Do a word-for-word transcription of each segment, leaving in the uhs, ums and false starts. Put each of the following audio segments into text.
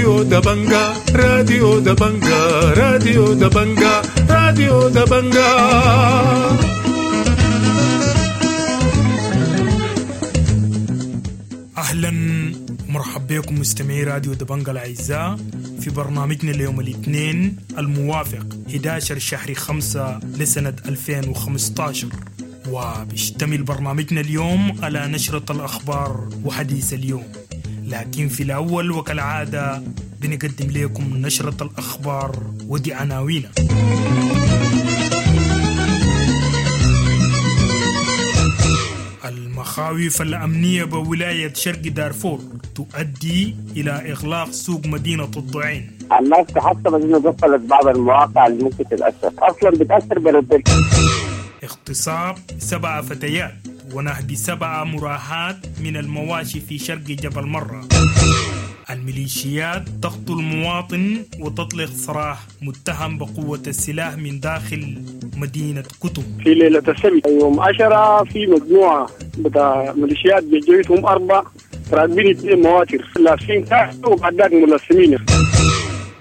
راديو دبنجا راديو دبنجا راديو دبنجا راديو دبنجا. أهلا ومرحبا بكم مستمعي راديو دبنجا الأعزاء في برنامجنا اليوم الاثنين الموافق إحدى عشر شهر خمسة لسنة ألفين وخمسة عشر، وبيشتمل برنامجنا اليوم على نشرة الأخبار وحديث اليوم. لكن في الأول وكالعادة بنقدم لكم نشرة الأخبار ودي عناوينها. المخاوف الأمنية بولاية شرق دارفور تؤدي إلى إغلاق سوق مدينة الضعين. الناس تحسبت إنه قفلت بعض المواقع اللي ممكن تتأثر، أصلا بتأثر برد. اغتصاب سبع فتيات ونهب سبع مراهات من المواشي في شرق جبل مرة. الميليشيات تقتل مواطن وتطلق سراح متهم بقوة السلاح من داخل مدينة كتم. في ليلة السبت يوم عشرة في مجموعة بتاع ميليشيات بجيتهم أربع راكبين اثنين مواتر لابسين كحل وبعد ذاك ملثمين.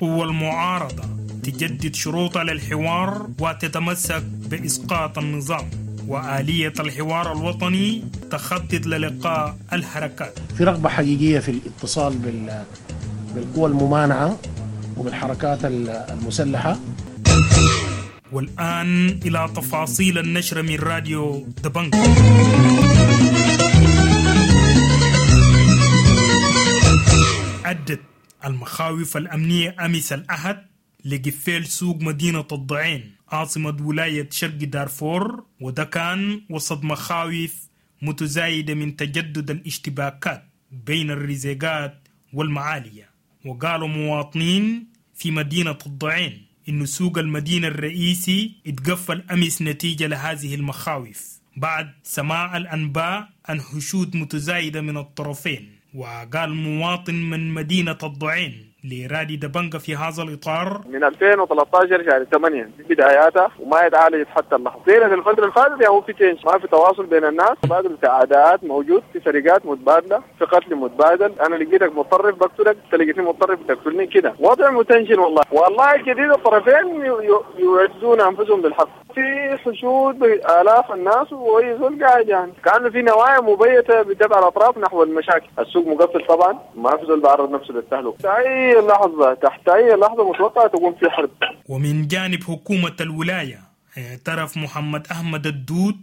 قوى المعارضة تجدد شروطها للحوار وتتمسك بإسقاط النظام، وآلية الحوار الوطني تخطط للقاء الحركات. في رغبة حقيقية في الاتصال بالقوى الممانعة وبالحركات المسلحة. والآن إلى تفاصيل النشرة من راديو دبنجا. أدت المخاوف الأمنية أمس الأحد لقفال سوق مدينة الضعين عاصمة ولاية شرق دارفور، وده كان وسط مخاوف متزايدة من تجدد الاشتباكات بين الرزيقات والمعالية. وقالوا مواطنين في مدينة الضعين إن سوق المدينة الرئيسي اتقفل أمس نتيجة لهذه المخاوف بعد سماع الأنباء عن حشود متزايدة من الطرفين. وقال مواطن من مدينة الضعين لرادي دبنجا في هذا الإطار: من ألفين وثلاثة عشر شهر ثمانية دي بداياتها وما يتعالج حتى اللحظة. زين الفترة اللي فاتت هو في تنش، ما في تواصل بين الناس، تبادل عداءات موجود، في سرقات متبادلة، في قتل متبادل. أنا لقيتك متطرف بقتلك، أنت لقيتني متطرف بتقتلني، كده وضع متنشن والله. والله الجديد الطرفين يعدون أنفسهم للحق، في حشود بآلاف الناس ويزول قاعد، يعني كأنه في نوايا مبيتة بتبع الأطراف نحو المشاكل. السوق مقفل طبعا، ما في زول بعرض نفسه للتهلكة. أي لحظة تحت أي لحظة متوقع تقوم في حرب. ومن جانب حكومة الولاية اعترف محمد أحمد الدود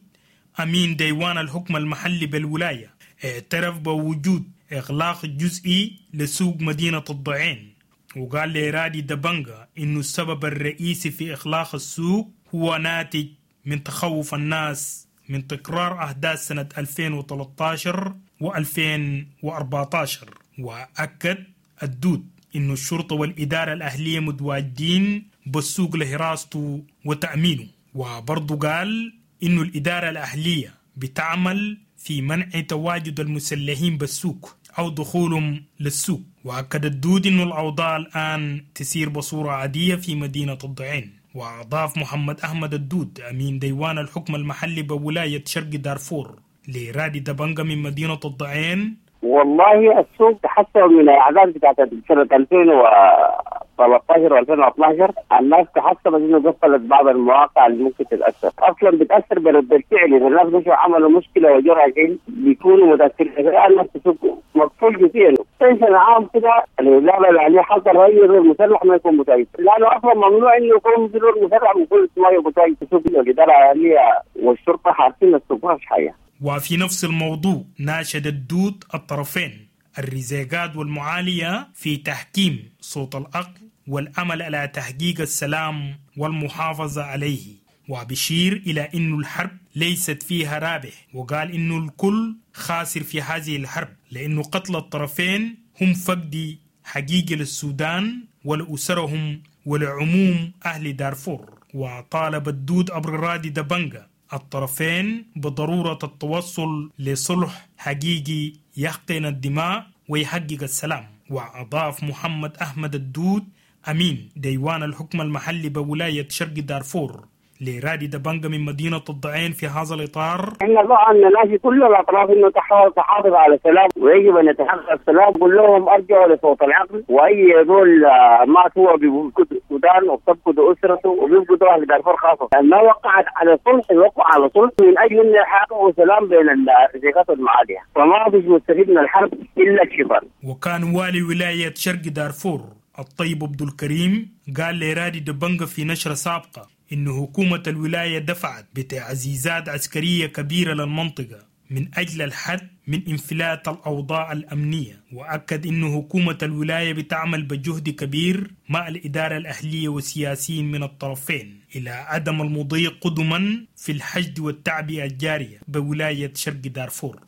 أمين ديوان الحكم المحلي بالولاية، اعترف بوجود إغلاق جزئي لسوق مدينة الضعين، وقال لرادي دبنجا إنه السبب الرئيسي في إغلاق السوق هو ناتج من تخوف الناس من تكرار أحداث سنة ألفين وثلاثة عشر وألفين وأربعة عشر. وأكد الدود إنه الشرطة والإدارة الأهلية متواجدين بالسوق لحراسته وتأمينه. وبرضه قال إنه الإدارة الأهلية بتعمل في منع تواجد المسلحين بالسوق أو دخولهم للسوق. وأكد الدود إنه الأوضاع الآن تسير بصورة عادية في مدينة الضعين. وأضاف محمد أحمد الدود أمين ديوان الحكم المحلي بولاية شرق دارفور لرادي دبنجا من مدينة الضعين: والله السوق تحسن من الأعداد بتاعت سنة ألفين وثلاثة عشر وألفين واثني عشر. الناس تحسبت إنه قفلت بعض المواقع اللي ممكن تتأثر، أصلا بتأثر برد الفعل. إذا الناس مشوا عملوا مشكلة وجوا راجعين بيكونوا متأثرين. الآن السوق مقفول كثير، tension عام كده. الإدارة الأهلية حصل أي غير مسلح ما يكون متأثر، لأنه أصلا ممنوع إنه يكون غير مسلح ويكون ما يكون متأثر. الإدارة الأهلية والشرطة حارسين السوق ما فيش حاجة. وفي نفس الموضوع ناشد الدود الطرفين الرزيقات والمعالية في تحكيم صوت العقل والعمل على تحقيق السلام والمحافظة عليه، وبشير إلى أن الحرب ليست فيها رابح، وقال إنه الكل خاسر في هذه الحرب لأنه قتل الطرفين هم فقد حقيقي للسودان ولأسرهم ولعموم أهل دارفور. وطالب الدود عبر رادي دبنجا الطرفين بضرورة التوصل لصلح حقيقي يحقن الدماء ويحقق السلام. وأضاف محمد أحمد الدود أمين ديوان الحكم المحلي بولاية شرق دارفور لرادي دبنجة من مدينة الضعين في هذا الإطار: احنا طبعا نناشد كل الأطراف إنه تحاول تحافظ على السلام، ويجب أن يتحقق السلام. قل لهم أرجعوا لصوت العقل، وأي زول مات هو بيفقد السودان وبتفقد أسرته وبيفقد أهل دارفور خاصة. ما وقعت على صلح يوقع على صلح من أجل أن يحققوا سلام بين الرزيقات المعادية، فما فيش مستفيد من الحرب إلا الشيطان. وكان والي ولاية شرق دارفور الطيب عبد الكريم قال لرادي دبنجة في نشرة سابقة إن حكومة الولاية دفعت بتعزيزات عسكرية كبيرة للمنطقة من أجل الحد من انفلات الأوضاع الأمنية، وأكد إن حكومة الولاية بتعمل بجهد كبير مع الإدارة الأهلية والسياسيين من الطرفين إلى عدم المضي قدما في الحشد والتعبئة الجارية بولاية شرق دارفور.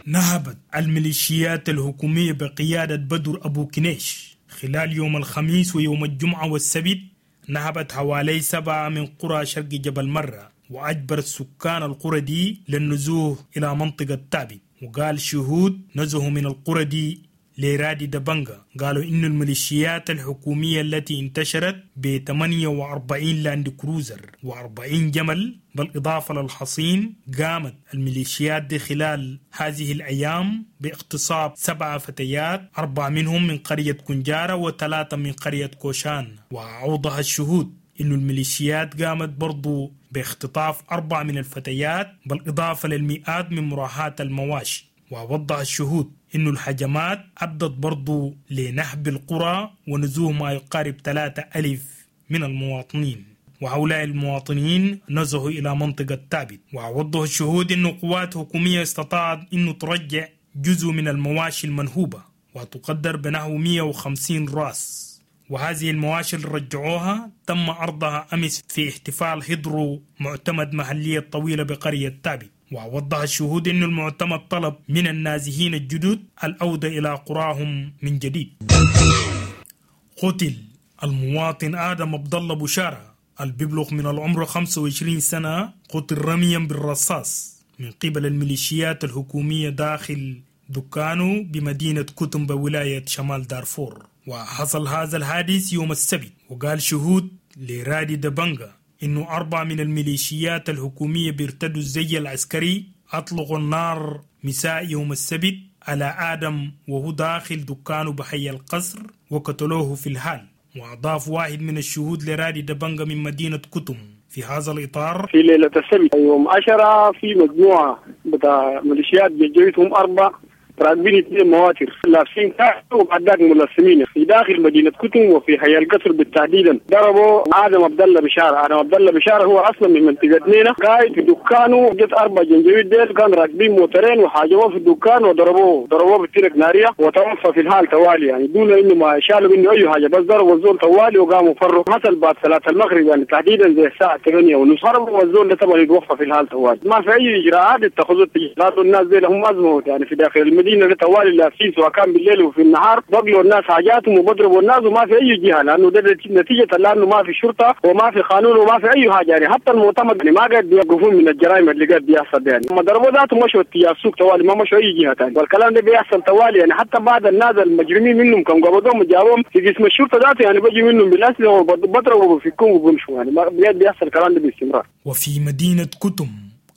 نهبت الميليشيات الحكومية بقيادة بدر أبو كنيش خلال يوم الخميس ويوم الجمعة والسبت نهبت حوالي سبعة من قرى شرق جبل مرة، وأجبرت سكان القرى دي للنزوح إلى منطقة تابت. وقال شهود نزهوا من القرى دي لرادي دبنجة قالوا إن الميليشيات الحكومية التي انتشرت ب ثمانية وأربعين لاند كروزر وأربعين جمل بالإضافة للحصين، قامت الميليشيات دي خلال هذه الأيام باغتصاب سبعة فتيات، أربعة منهم من قرية كنجارة وثلاثة من قرية كوشان. وأوضح الشهود إنه الميليشيات قامت برضو باختطاف أربعة من الفتيات بالإضافة للمئات من مراهات المواشي. ووضح الشهود إنه الهجمات أدت برضو لنهب القرى ونزوه ما يقارب ثلاثة ألف من المواطنين، وهؤلاء المواطنين نزهوا إلى منطقة تابت. ووضح الشهود إنه قوات حكومية استطاعت إنه ترجع جزء من المواشي المنهوبة وتقدر بنحو مئة وخمسين راس، وهذه المواشي اللي رجعوها تم عرضها أمس في احتفال هدرو معتمد محلية الطويلة بقرية تابت. ووضح الشهود أن المعتمد طلب من النازحين الجدد العودة إلى قراهم من جديد. قتل المواطن آدم عبد الله بشارة الببلغ من العمر خمسة وعشرين سنة، قتل رميا بالرصاص من قبل الميليشيات الحكومية داخل دكانه بمدينة كتم بولاية شمال دارفور. وحصل هذا الحادث يوم السبت. وقال شهود لرادي دبنجة إنه أربعة من الميليشيات الحكومية بيرتدوا الزي العسكري أطلقوا النار مساء يوم السبت على آدم وهو داخل دكانه بحي القصر وقتلوه في الحال. وأضاف واحد من الشهود لرادي دبنجة من مدينة كتم في هذا الإطار: في ليلة السبت يوم عشرة في مجموعة بتاع ميليشيات جيتهم أربعة راكبين اثنين مواتر لابسين كاس وبعد ذاك ملثمين في داخل مدينه كتم وفي حي القصر بالتحديدا. ضربوا ادم عبد الله بشاره. ادم عبد الله بشاره هو اصلا من منطقه نينا، قاعد في دكانه، جت اربع جنجويد ديل كان راكبين موترين وحاجوه في الدكان وضربوه ضربوه بالترك ناريه وتوفى في الحال توالي، يعني دون انه ما شالوا منه اي حاجه، بس ضربوا الزول توالي وقاموا فروا. حصل بعد صلاه المغرب يعني تحديدا زي الساعه ثمانية ونص هربوا والزول ده طبعا يتوفى في الحال توالي. ما في اي اجراءات اتخذت لانه الناس ديل هم ازمه يعني في داخل المدينه طوال لابسين سواء كان بالليل وفي النهار، بقلوا الناس حاجاتهم وبضربوا الناس وما في اي جهه، لانه ده نتيجه لانه ما في شرطه وما في قانون وما في اي حاجه يعني. حتى المعتمد يعني ما قاعد بيوقفون من الجرائم اللي قاعد بيحصل يعني. هم ضربوا ذاته مشوا اتجاه السوق طوالي، ما مشوا اي جهه ثانيه، والكلام ده بيحصل طوالي يعني. حتى بعض الناس المجرمين منهم كم قبضوهم وجابوهم في قسم الشرطه ذاته يعني بيجي منهم بالاسلحه وبضربوا وبيفكوهم وبيمشوا يعني، ما بيحصل الكلام ده باستمرار. وفي مدينه كتم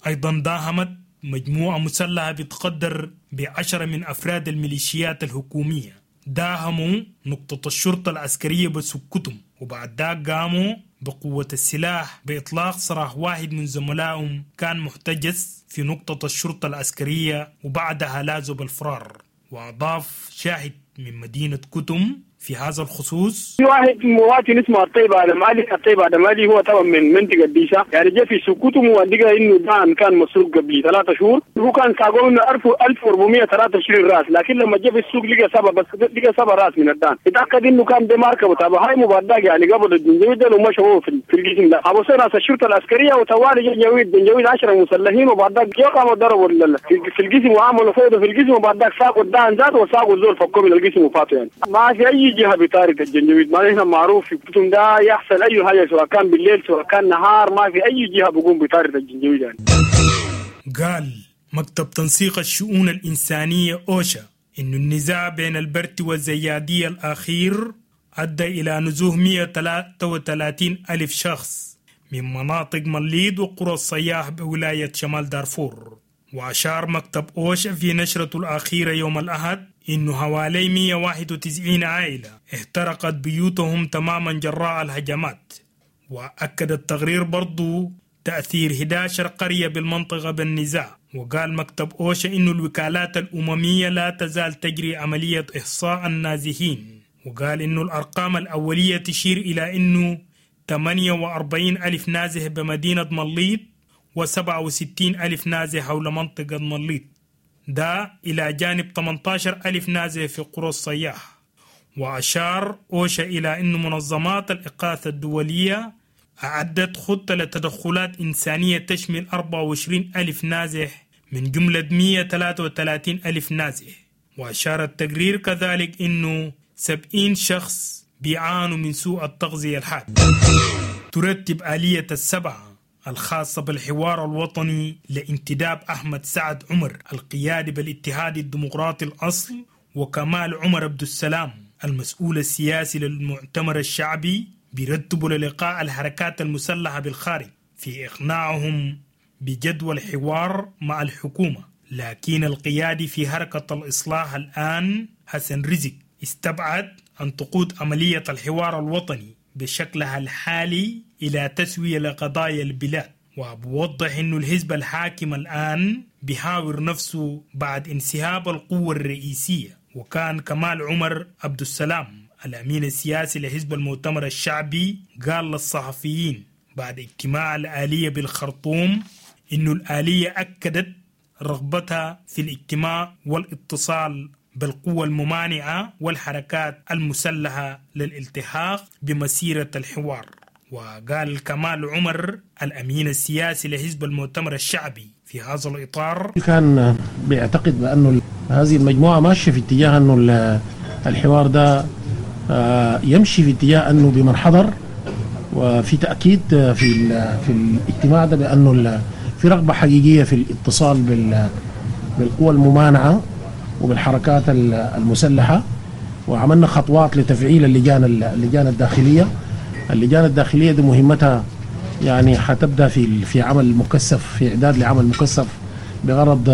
ايضا داهمت مجموعة مسلحة بتقدر بعشرة من أفراد الميليشيات الحكومية، داهموا نقطة الشرطة العسكرية بسكتم، وبعد ذاك قاموا بقوة السلاح بإطلاق سراح واحد من زملائهم كان محتجز في نقطة الشرطة العسكرية، وبعدها لازوا بالفرار. وأضاف شاهد من مدينة كتم في هذا الخصوص: في واحد مواطن اسمه الطيب ادم علي، الطيب ادم علي هو طبعا من منطقه ديشا يعني، جاء في سكوتهم ولقى انه دان كان مسروق قبل ثلاثة شهور، هو كان ساقوه منه ألف وأربعمئة وثلاثة وعشرين راس، لكن لما جاء في السوق لقى سبعة بس، لقى سبعة راس من الدان، اتاكد انه كان بماركه تبع هاي مبادئ يعني قبل الجنجويد ومشوا في في القسم ده، ابو ناس الشرطه العسكريه وتوالي جنجويد جنجويد عشرة مسلحين، وبعد ذاك قاموا ضربوا في القسم وعملوا فوضى في القسم، وبعد ذاك ساقوا الدان ذاته وساقوا الزول فكوا من القسم وفاتوا يعني. ما في اي جهه بطارد الجنجويد، ما نحن معروف في كتم ده يحصل اي حاجه سواء كان بالليل سواء كان نهار، ما في اي جهه بقوم بطارد الجنجويد يعني. قال مكتب تنسيق الشؤون الانسانيه اوشا ان النزاع بين البرت والزياديه الاخير ادى الى نزوح مئة وثلاثة وثلاثين الف شخص من مناطق مليد وقرى الصياح بولاية شمال دارفور. وأشار مكتب أوشا في نشرته الأخيرة يوم الأحد إنه حوالي مئة وواحد وتسعين عائلة احترقت بيوتهم تماما جراء الهجمات. وأكد التقرير برضو تأثير إحدى عشرة قرية بالمنطقة بالنزاع. وقال مكتب أوشا إنه الوكالات الأممية لا تزال تجري عملية إحصاء النازحين. وقال إنه الأرقام الأولية تشير إلى إنه ثمانية وأربعين ألف نازح بمدينة مليط وسبعة وستين ألف نازح حول منطقة مليط، ده إلى جانب ثمانية عشر ألف نازح في قرى الصياح. وأشار أوشا إلى أن منظمات الإغاثة الدولية أعدت خطة لتدخلات إنسانية تشمل أربعة وعشرين ألف نازح من جملة مئة وثلاثة وثلاثين ألف نازح. وأشار التقرير كذلك أنه سبعين شخص بيعانوا من سوء التغذية الحاد. ترتب آلية السبعة الخاصة بالحوار الوطني لانتداب أحمد سعد عمر القيادي بالاتحاد الديمقراطي الأصل وكمال عمر عبد السلام المسؤول السياسي للمؤتمر الشعبي بيرتبوا للقاء الحركات المسلحة بالخارج في إقناعهم بجدول الحوار مع الحكومة. لكن القيادي في حركة الإصلاح الآن حسن رزق استبعد أن تقود عملية الحوار الوطني بشكلها الحالي إلى تسوية لقضايا البلاد. وبوضح أنه الحزب الحاكم الآن بيحاور نفسه بعد انسحاب القوة الرئيسية. وكان كمال عمر عبد السلام الأمين السياسي لحزب المؤتمر الشعبي قال للصحفيين بعد اجتماع الآلية بالخرطوم إنه الآلية أكدت رغبتها في الاجتماع والاتصال بالقوى الممانعة والحركات المسلحة للالتحاق بمسيرة الحوار. وقال كمال عمر الأمين السياسي لحزب المؤتمر الشعبي في هذا الإطار: كان بيعتقد بأنه هذه المجموعة ماشية في اتجاه أنه الحوار ده يمشي في اتجاه أنه بمن حضر، وفي تأكيد في في الاجتماع ده بأنه في رغبة حقيقية في الاتصال بالقوى الممانعة وبالحركات المسلحة. وعملنا خطوات لتفعيل اللجان اللجان الداخلية. اللجان الداخلية دي مهمتها يعني حتبدأ في في عمل مكثف، في إعداد لعمل مكثف بغرض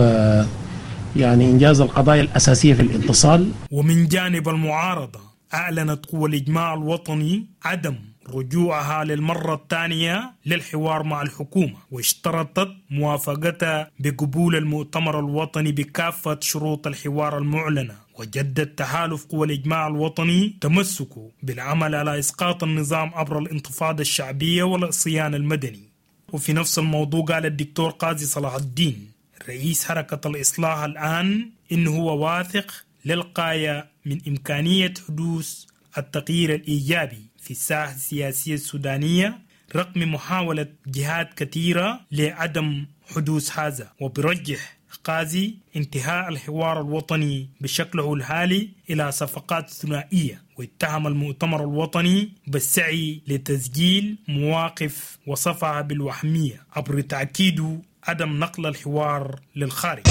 يعني إنجاز القضايا الأساسية في الاتصال. ومن جانب المعارضة أعلنت قوى الإجماع الوطني عدم رجوعها للمرة الثانية للحوار مع الحكومة، واشترطت موافقتها بقبول المؤتمر الوطني بكافة شروط الحوار المعلنة. وجدد تحالف قوى الإجماع الوطني تمسكه بالعمل على إسقاط النظام عبر الانتفاضة الشعبية والعصيان المدني. وفي نفس الموضوع قال الدكتور قاضي صلاح الدين رئيس حركة الإصلاح الآن إنه هو واثق للغاية من إمكانية حدوث التغيير الإيجابي في الساحة السياسية السودانية رغم محاولة جهات كثيرة لعدم حدوث هذا. وبرجح قاضي انتهاء الحوار الوطني بشكله الحالي إلى صفقات ثنائية، واتهم المؤتمر الوطني بالسعي لتسجيل مواقف وصفها بالوهمية عبر تأكيد عدم نقل الحوار للخارج.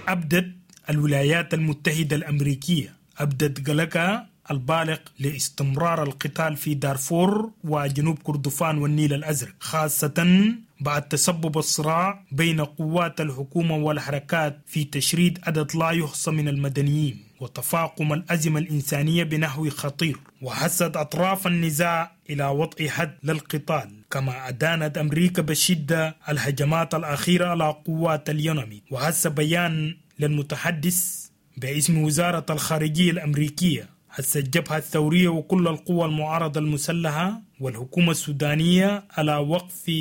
أبدت الولايات المتحدة الأمريكية أبدت قلقها البالغ لاستمرار القتال في دارفور وجنوب كردفان والنيل الأزرق، خاصة بعد تسبب الصراع بين قوات الحكومة والحركات في تشريد عدد لا يحصى من المدنيين وتفاقم الأزمة الإنسانية بنحو خطير، وحثت أطراف النزاع إلى وضع حد للقتال. كما أدانت أمريكا بشدة الهجمات الأخيرة على قوات اليوناميد. وحث بيان للمتحدث باسم وزارة الخارجية الأمريكية حث الجبهة الثورية وكل القوى المعارضة المسلحة والحكومة السودانية على وقف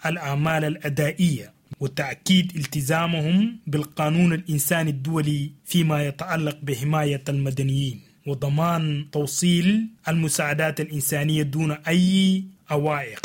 الأعمال الأدائية وتأكيد التزامهم بالقانون الإنساني الدولي فيما يتعلق بحماية المدنيين وضمان توصيل المساعدات الإنسانية دون أي عوائق.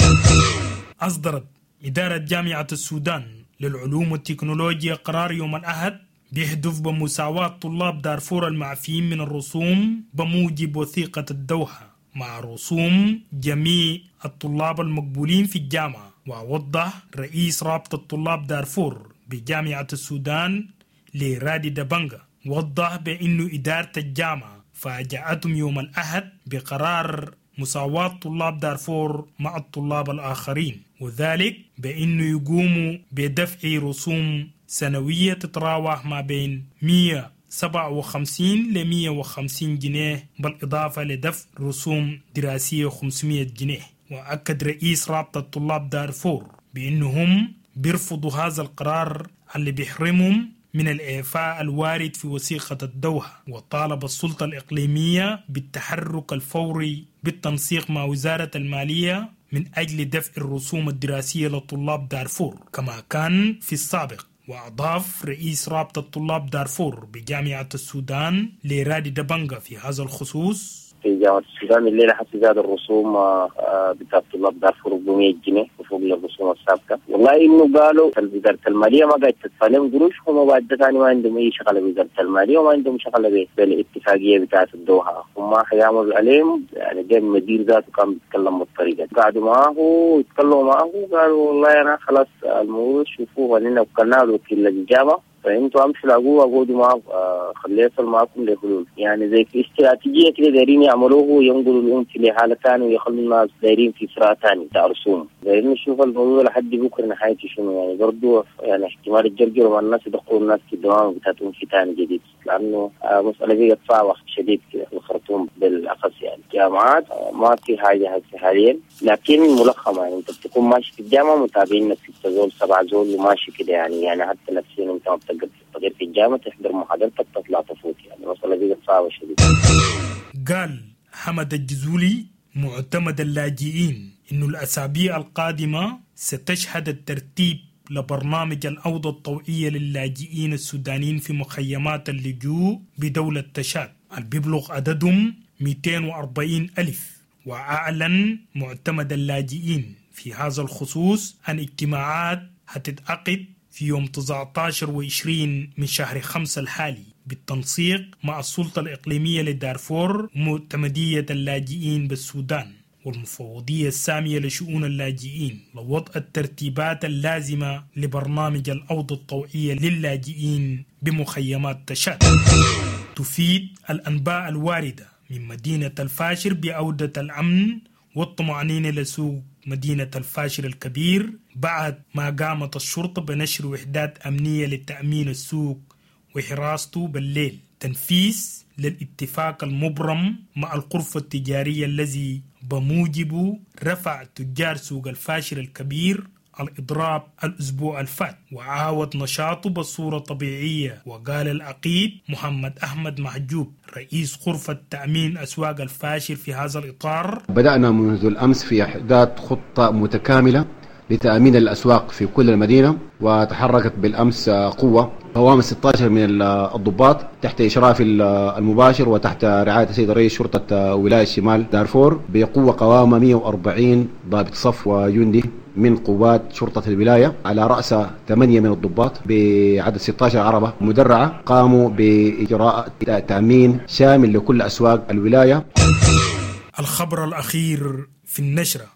أصدرت إدارة جامعة السودان للعلوم والتكنولوجيا قرار يوم الأحد بيهدف بمساواة طلاب دارفور المعفيين من الرسوم بموجب وثيقة الدوحة مع رسوم جميع الطلاب المقبولين في الجامعة. ووضح رئيس رابطة طلاب دارفور بجامعة السودان لرادي دبنجا وضح بأنه إدارة الجامعة فاجأتهم يوم الأحد بقرار مساواة طلاب دارفور مع الطلاب الآخرين، وذلك بأنه يقوموا بدفع رسوم سنوية تتراوح ما بين مية وسبعة وخمسين ل مية وخمسين جنيه، بالإضافة لدفع رسوم دراسية خمسمية جنيه. وأكد رئيس رابطة طلاب دارفور بأنهم بيرفضوا هذا القرار اللي بيحرمهم من الإعفاء الوارد في وثيقة الدوحة، وطالب السلطة الإقليمية بالتحرك الفوري بالتنسيق مع وزارة المالية من أجل دفع الرسوم الدراسية لطلاب دارفور كما كان في السابق. وأضاف رئيس رابطة طلاب دارفور بجامعة السودان لرادي دبنجا في هذا الخصوص: في جامعة السودان الليلة حتى زاد الرسوم بتاع طلاب دارفور بمية جنيه وفوق الرسوم السابقة. والله إنه قالوا وزارة المالية ما قاعد تدفع لهم قروش، هم بعد ثاني ما عندهم أي شغلة بوزارة المالية وما عندهم شغلة بالاتفاقية بتاعة الدوحة، هم حيعملوا عليهم يعني. جاء المدير ذاته كان بيتكلم بالطريقة، قعدوا معاه ويتكلموا معاه وقالوا والله أنا خلاص الموضوع شوفوه لنا وكلنا وكيل الجامعة، فانتوا امشوا لاقوه اقعدوا معاه آه خليه يصل معاكم لحلول. يعني زي في استراتيجيه كده دايرين يعملوه، ينقلوا الام في لحاله ثانيه ويخلوا الناس دايرين في صراع ثاني بتاع رسوم. دايرين نشوف الموضوع لحد بكره نهايته شنو يعني. برضه يعني احتمال الجرجر مع الناس يدخلوا الناس في الدوام بتاعتهم في ثاني جديد، لانه آه مساله بقت صعبه شديد كده في الخرطوم بالاخص. يعني الجامعات آه ما في حاجه هسه حاليا، لكن ملخمه يعني. انت بتكون ماشي في الجامعه متابعين ستة زول سبعة زول وماشي كده يعني، يعني حتى نفسيا انت ما بتقدر تستقر في الجامعة، تحضر محاضرتك تطلع تفوت يعني. مسألة بقت صعبة شديد. قال حمد الجزولي معتمد اللاجئين إنه الأسابيع القادمة ستشهد الترتيب لبرنامج العودة الطوعية للاجئين السودانيين في مخيمات اللجوء بدولة تشاد اللي بيبلغ عددهم مئتين وأربعين ألف. وأعلن معتمد اللاجئين في هذا الخصوص عن اجتماعات هتتعقد في يوم تسعة عشر وعشرين من شهر خمسة الحالي بالتنسيق مع السلطة الإقليمية لدارفور ومعتمدية اللاجئين بالسودان والمفوضية السامية لشؤون اللاجئين لوضع الترتيبات اللازمة لبرنامج العودة الطوعية للاجئين بمخيمات تشاد. تفيد الأنباء الواردة من مدينة الفاشر بعودة الأمن والطمأنينة لسوق مدينة الفاشر الكبير بعد ما قامت الشرطة بنشر وحدات أمنية لتأمين السوق وحراسته بالليل، تنفيذ للاتفاق المبرم مع الغرفة التجارية الذي بموجبه رفع تجار سوق الفاشر الكبير الإضراب الأسبوع الفات وعاود نشاطه بصورة طبيعية. وقال العقيد محمد أحمد محجوب رئيس غرفة تأمين أسواق الفاشر في هذا الإطار: بدأنا منذ الأمس في إحداث خطة متكاملة لتأمين الأسواق في كل المدينة، وتحركت بالأمس قوة قوام ستة عشر من الضباط تحت إشراف المباشر وتحت رعاية السيد رئيس شرطة ولاية شمال دارفور بقوة قوامة مئة وأربعين ضابط صف وجندي من قوات شرطة الولاية، على رأس ثمانية من الضباط بعدد ستة عشر عربة مدرعة، قاموا بإجراء تأمين شامل لكل أسواق الولاية. الخبر الأخير في النشرة: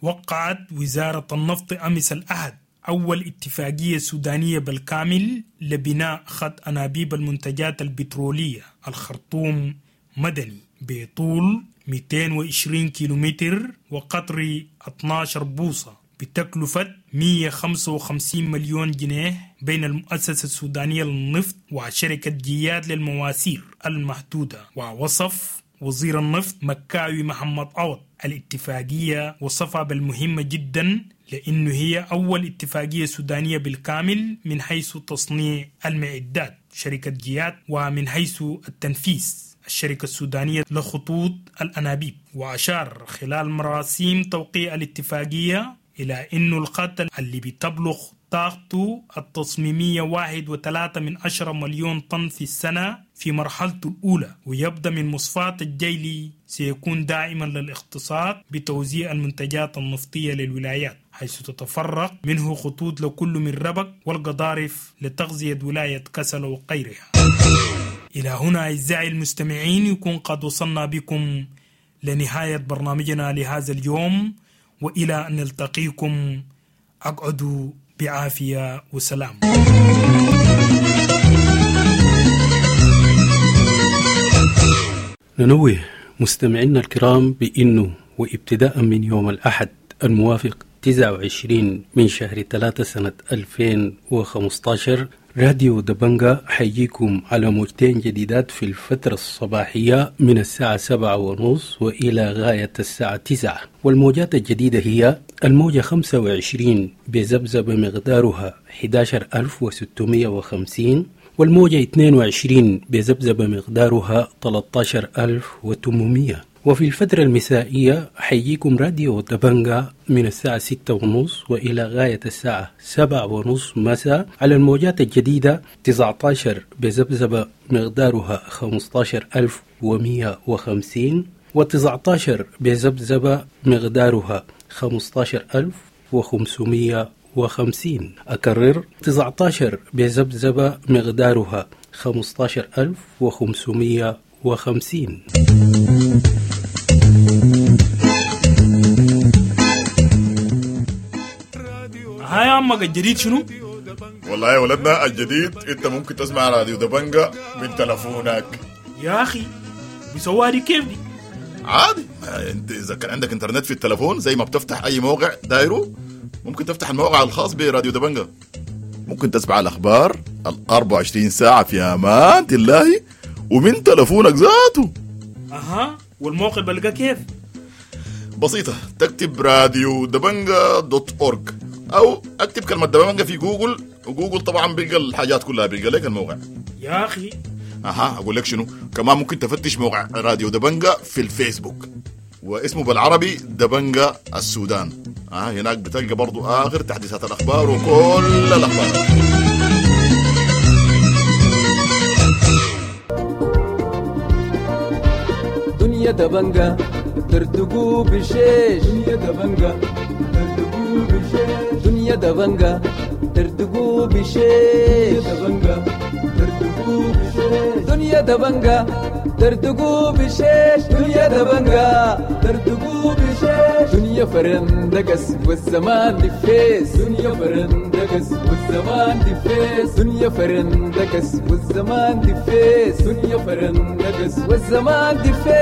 وقعت وزارة النفط أمس الأحد أول اتفاقية سودانية بالكامل لبناء خط أنابيب المنتجات البترولية الخرطوم مدني بطول مئتين وعشرين كيلومتر وقطر اثني عشر بوصة بتكلفة مئة وخمسة وخمسين مليون جنيه بين المؤسسة السودانية للنفط وشركة جياد للمواسير المحدودة. ووصف وزير النفط مكاوي محمد عوض الاتفاقية وصفها بالمهمة جدا لأنه هي أول اتفاقية سودانية بالكامل من حيث تصنيع المعدات شركة جياد ومن حيث التنفيذ الشركة السودانية لخطوط الأنابيب. وأشار خلال مراسيم توقيع الاتفاقية إلى أنه الخط اللي بتبلغ طاقته التصميمية واحد وثلاثة من عشرة مليون طن في السنة في مرحلته الأولى ويبدأ من مصفاة الجيلي سيكون دائما للاقتصاد بتوزيع المنتجات النفطية للولايات، حيث تتفرق منه خطوط لكل من ربك والقضارف لتغذية ولاية كسل وغيرها. إلى هنا أعزائي المستمعين يكون قد وصلنا بكم لنهاية برنامجنا لهذا اليوم، وإلى أن نلتقيكم أقعدوا بعافية وسلام. ننوه مستمعينا الكرام بأنه وابتداء من يوم الأحد الموافق تسعة وعشرين من شهر ثلاثة سنة ألفين وخمستاشر راديو دبنجا حيجيكم على موجتين جديدات في الفترة الصباحية من الساعة سبعة ونص وإلى غاية الساعة تسعة، والموجات الجديدة هي الموجة خمسة وعشرين بذبذبة مقدارها أحد عشر ألف وستمائة وخمسين، والموجة اثنين وعشرين بذبذبة مقدارها ثلاثة عشر ألف وثمانمائة. وفي الفترة المسائية حيجيكم راديو دبنجا من الساعة ستة ونص وإلى غاية الساعة سبعة ونص مساء على الموجات الجديدة تسعة عشر بذبذبة مقدارها خمسة عشر ألف ومئة وخمسين، وتسعة عشر بذبذبة مقدارها خمسة عشر ألف وخمسمائة وخمسين. أكرر تسعة عشر بذبذبة مقدارها خمسة عشر ألف وخمسمائة وخمسين. هاي عمك الجديد شنو؟ والله يا ولدنا الجديد انت ممكن تسمع راديو دبنجا من تلفونك. يا اخي بيسووها دي كيف دي؟ عادي، انت اذا كان عندك انترنت في التلفون زي ما بتفتح اي موقع دايرو ممكن تفتح الموقع الخاص براديو دبنجا، ممكن تسمع الاخبار ال أربعة وعشرين ساعة في امان الله ومن تلفونك ذاته. اها، والموقع بلقاه كيف؟ بسيطة، تكتب راديو دبنجا dot org أو اكتب كلمة دبنجا في جوجل، وجوجل طبعا بيلقى الحاجات كلها، بيلقى لك الموقع. يا أخي أها، أقول لك شنو كمان، ممكن تفتش موقع راديو دبنجا في الفيسبوك واسمه بالعربي دبنجا السودان. آه هناك بتلقى برضو آخر تحديثات الأخبار وكل الأخبار. دنيا دبنجا ترتقو بشيش، دنيا دبنجا ترتقو بشيش، دنيا دبنجا ترتقو بشيش، دبنجا ترتقو بشيش، دنيا دبنجا ترتقو بشيش، دنيا دبنجا ترتقو بشيش، دنيا فرندقس والزمان دفيس، دنيا فرندقس والزمان دفيس، دنيا فرندقس والزمان دفيس، دنيا فرندقس والزمان دفيس.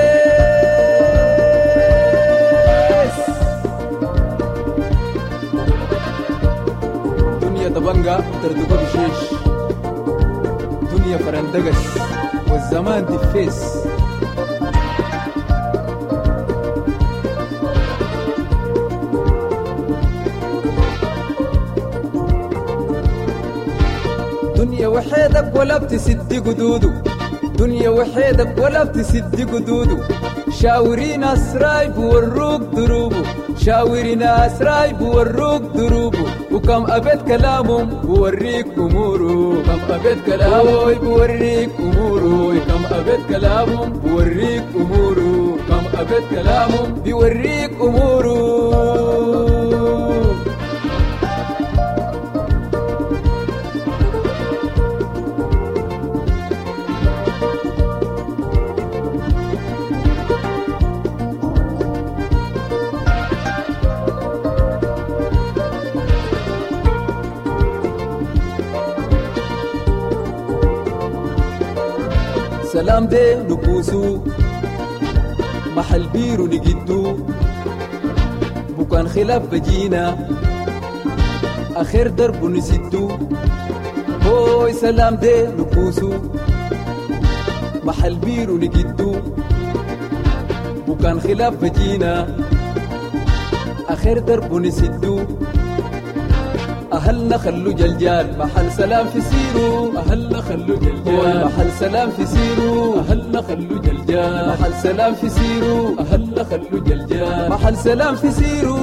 دنيا دبنجا ترتقو بشيش، دنيا فرندقس والزمان دفيس. دنيا وحيدك ولا بتسد قدوده، دنيا وحيدك ولا بتسد قدوده، شاوري ناس رايب وروك دروبه، شاوري ناس رايب وروك دروبه، وكم أبيت كلامهم بوريك أموره، كم أبيت كلامه بوريك أموره، كم أبيت كلامهم بوريك أموره، كم أبيت كلامهم بيوريك أموره. سلام دي نبوسو محل بيرو نجدو، بكان خلاف بجينا آخر درب نسدو، هوي سلام دي نبوسو محل بيرو نجدو، بكان خلاف بجينا آخر درب نسدو، أهلنا خلو جلجال محل سلام في سيرو، أهلنا خلو جلجال محل سلام في سيرو، أهلنا خلو جلجال محل سلام في سيرو، أهلنا خلو جلجال محل سلام في سيرو.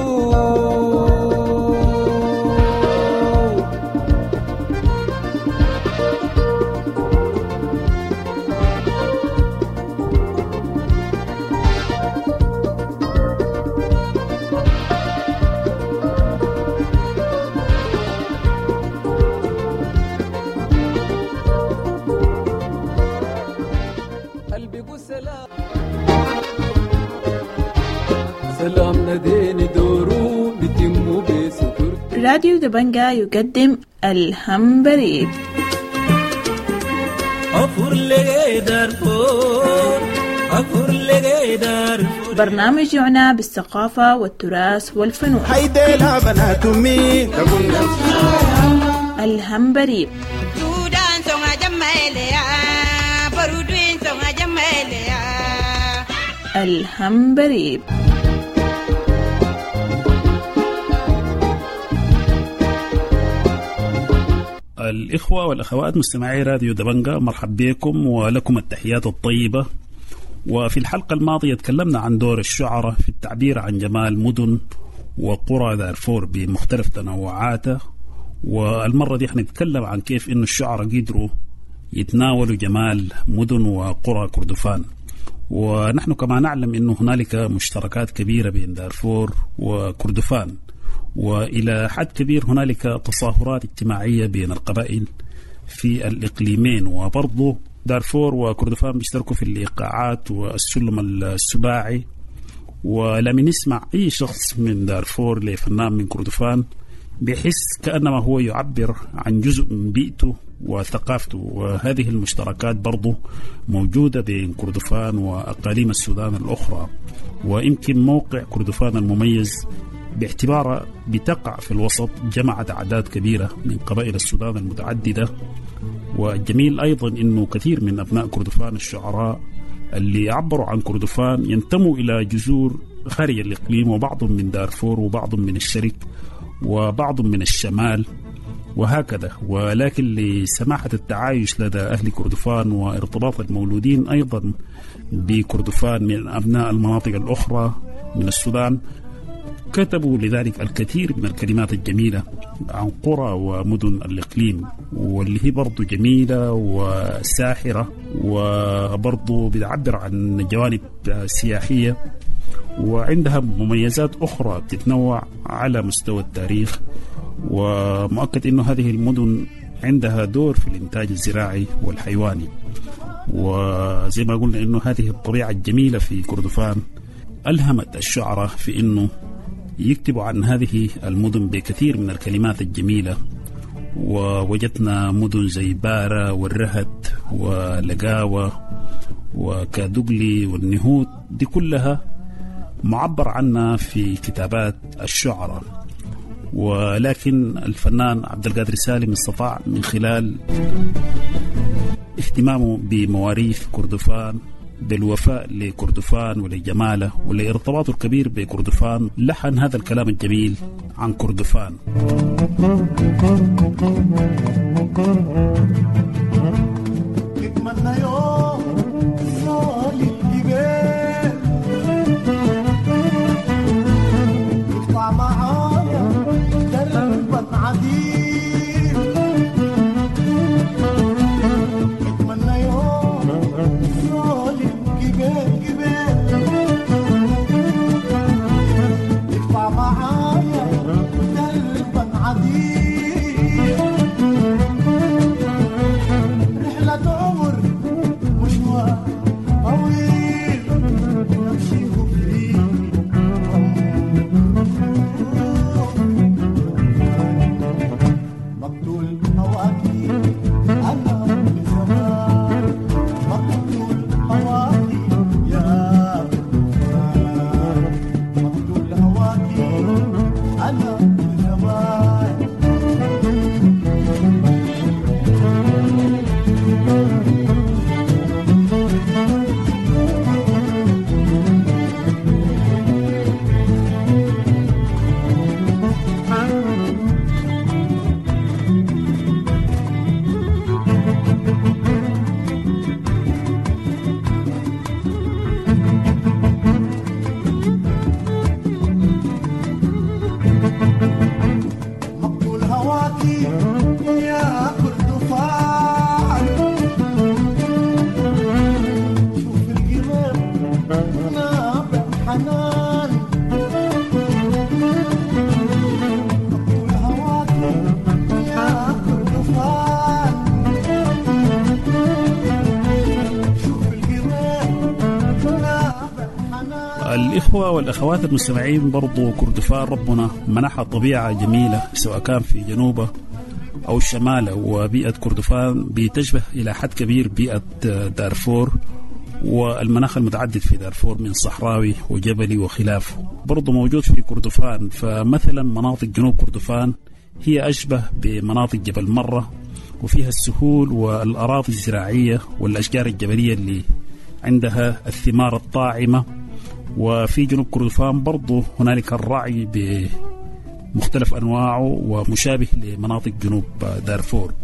راديو دبنجا يقدم الهمبريب. أفور لي دارفور برنامج يعنى بالثقافة والتراث والفنون. الهمبريب الهمبريب. الإخوة والأخوات مستمعي راديو دبنجا، مرحب بكم ولكم التحيات الطيبة. وفي الحلقة الماضية تكلمنا عن دور الشعراء في التعبير عن جمال مدن وقرى دارفور بمختلف تنوعاتها، والمرة دي حنتكلم عن كيف إنه الشعراء قدروا يتناولوا جمال مدن وقرى كردفان. ونحن كما نعلم إنه هنالك مشتركات كبيرة بين دارفور وكردفان، وإلى حد كبير هنالك تصاهرات اجتماعية بين القبائل في الإقليمين. وبرضه دارفور وكردفان بيشتركوا في الإيقاعات والسلم السباعي، ولم نسمع أي شخص من دارفور لفنان من كردفان بيحس كأنما هو يعبر عن جزء من بيئته وثقافته. وهذه المشتركات برضو موجودة بين كردفان وأقاليم السودان الأخرى، ويمكن موقع كردفان المميز باعتبارها بتقع في الوسط جمعت أعداد كبيرة من قبائل السودان المتعددة. والجميل أيضا أنه كثير من أبناء كردفان الشعراء اللي عبروا عن كردفان ينتموا إلى جذور خارج الإقليم، وبعضهم من دارفور وبعضهم من الشرق وبعض من الشمال وهكذا. ولكن لسماحة التعايش لدى أهل كردفان وارتباط المولودين أيضا بكردفان من أبناء المناطق الأخرى من السودان، كتبوا لذلك الكثير من الكلمات الجميلة عن قرى ومدن الإقليم، واللي هي برضو جميلة وساحرة وبرضو بتعبر عن جوانب سياحية وعندها مميزات أخرى بتتنوع على مستوى التاريخ. ومؤكد أنه هذه المدن عندها دور في الإنتاج الزراعي والحيواني، وزي ما قلنا أنه هذه الطبيعة الجميلة في كردفان ألهمت الشعراء في أنه يكتبوا عن هذه المدن بكثير من الكلمات الجميلة. ووجدنا مدن زي بارة والرهد ولقاوة وكادوغلي والنهود، دي كلها معبر عنها في كتابات الشعراء. ولكن الفنان عبد القادر سالم استطاع من خلال اهتمامه بمواريث كردفان، بالوفاء لكردفان ولجماله ولارتباطه الكبير بكردفان، لحن هذا الكلام الجميل عن كردفان. الإخوة والأخوات المستمعين، برضو كردفان ربنا منحها طبيعة جميلة سواء كان في جنوبه أو شماله، وبيئة كردفان بتشبه إلى حد كبير بيئة دارفور، والمناخ المتعدد في دارفور من صحراوي وجبلي وخلافه برضو موجود في كردفان. فمثلا مناطق جنوب كردفان هي أشبه بمناطق جبل مرة، وفيها السهول والأراضي الزراعية والأشجار الجبلية اللي عندها الثمار الطاعمة. وفي جنوب كردفان برضو هنالك الرعي بمختلف أنواعه ومشابه لمناطق جنوب دارفور.